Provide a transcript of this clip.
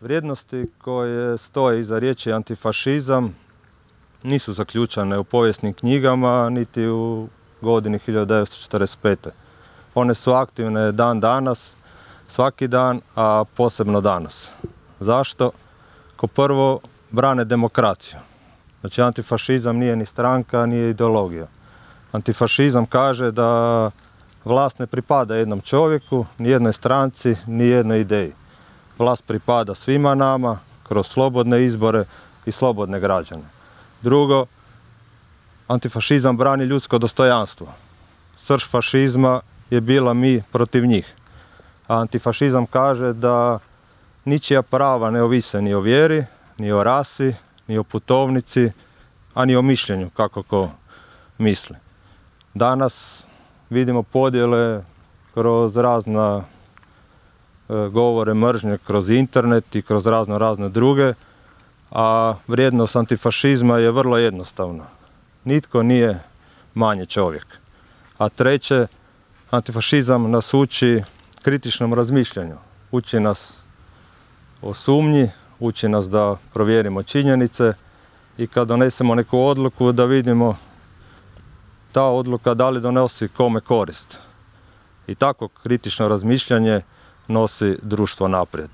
Vrijednosti koje stoje iza riječi antifašizam nisu zaključane u povijesnim knjigama niti u godini 1945. One su aktivne dan danas, svaki dan, a posebno danas. Zašto? Kao prvo, brane demokraciju. Znači, antifašizam nije ni stranka, nije ideologija. Antifašizam kaže da vlast ne pripada jednom čovjeku, ni jednoj stranci, ni jednoj ideji. Vlast pripada svima nama kroz slobodne izbore i slobodne građane. Drugo, antifašizam brani ljudsko dostojanstvo. Srž fašizma je bila mi protiv njih. A antifašizam kaže da ničija prava ne ovise ni o vjeri, ni o rasi, ni o putovnici, a ni o mišljenju kako ko misli. Danas vidimo podjele kroz razna govore mržnje, kroz internet i kroz razne druge, a vrijednost antifašizma je vrlo jednostavna. Nitko nije manje čovjek. A treće, antifašizam nas uči kritičnom razmišljanju. Uči nas o sumnji, uči nas da provjerimo činjenice i kad donesemo neku odluku da vidimo ta odluka da li donosi kome korist. I tako kritično razmišljanje nosi društvo naprijed.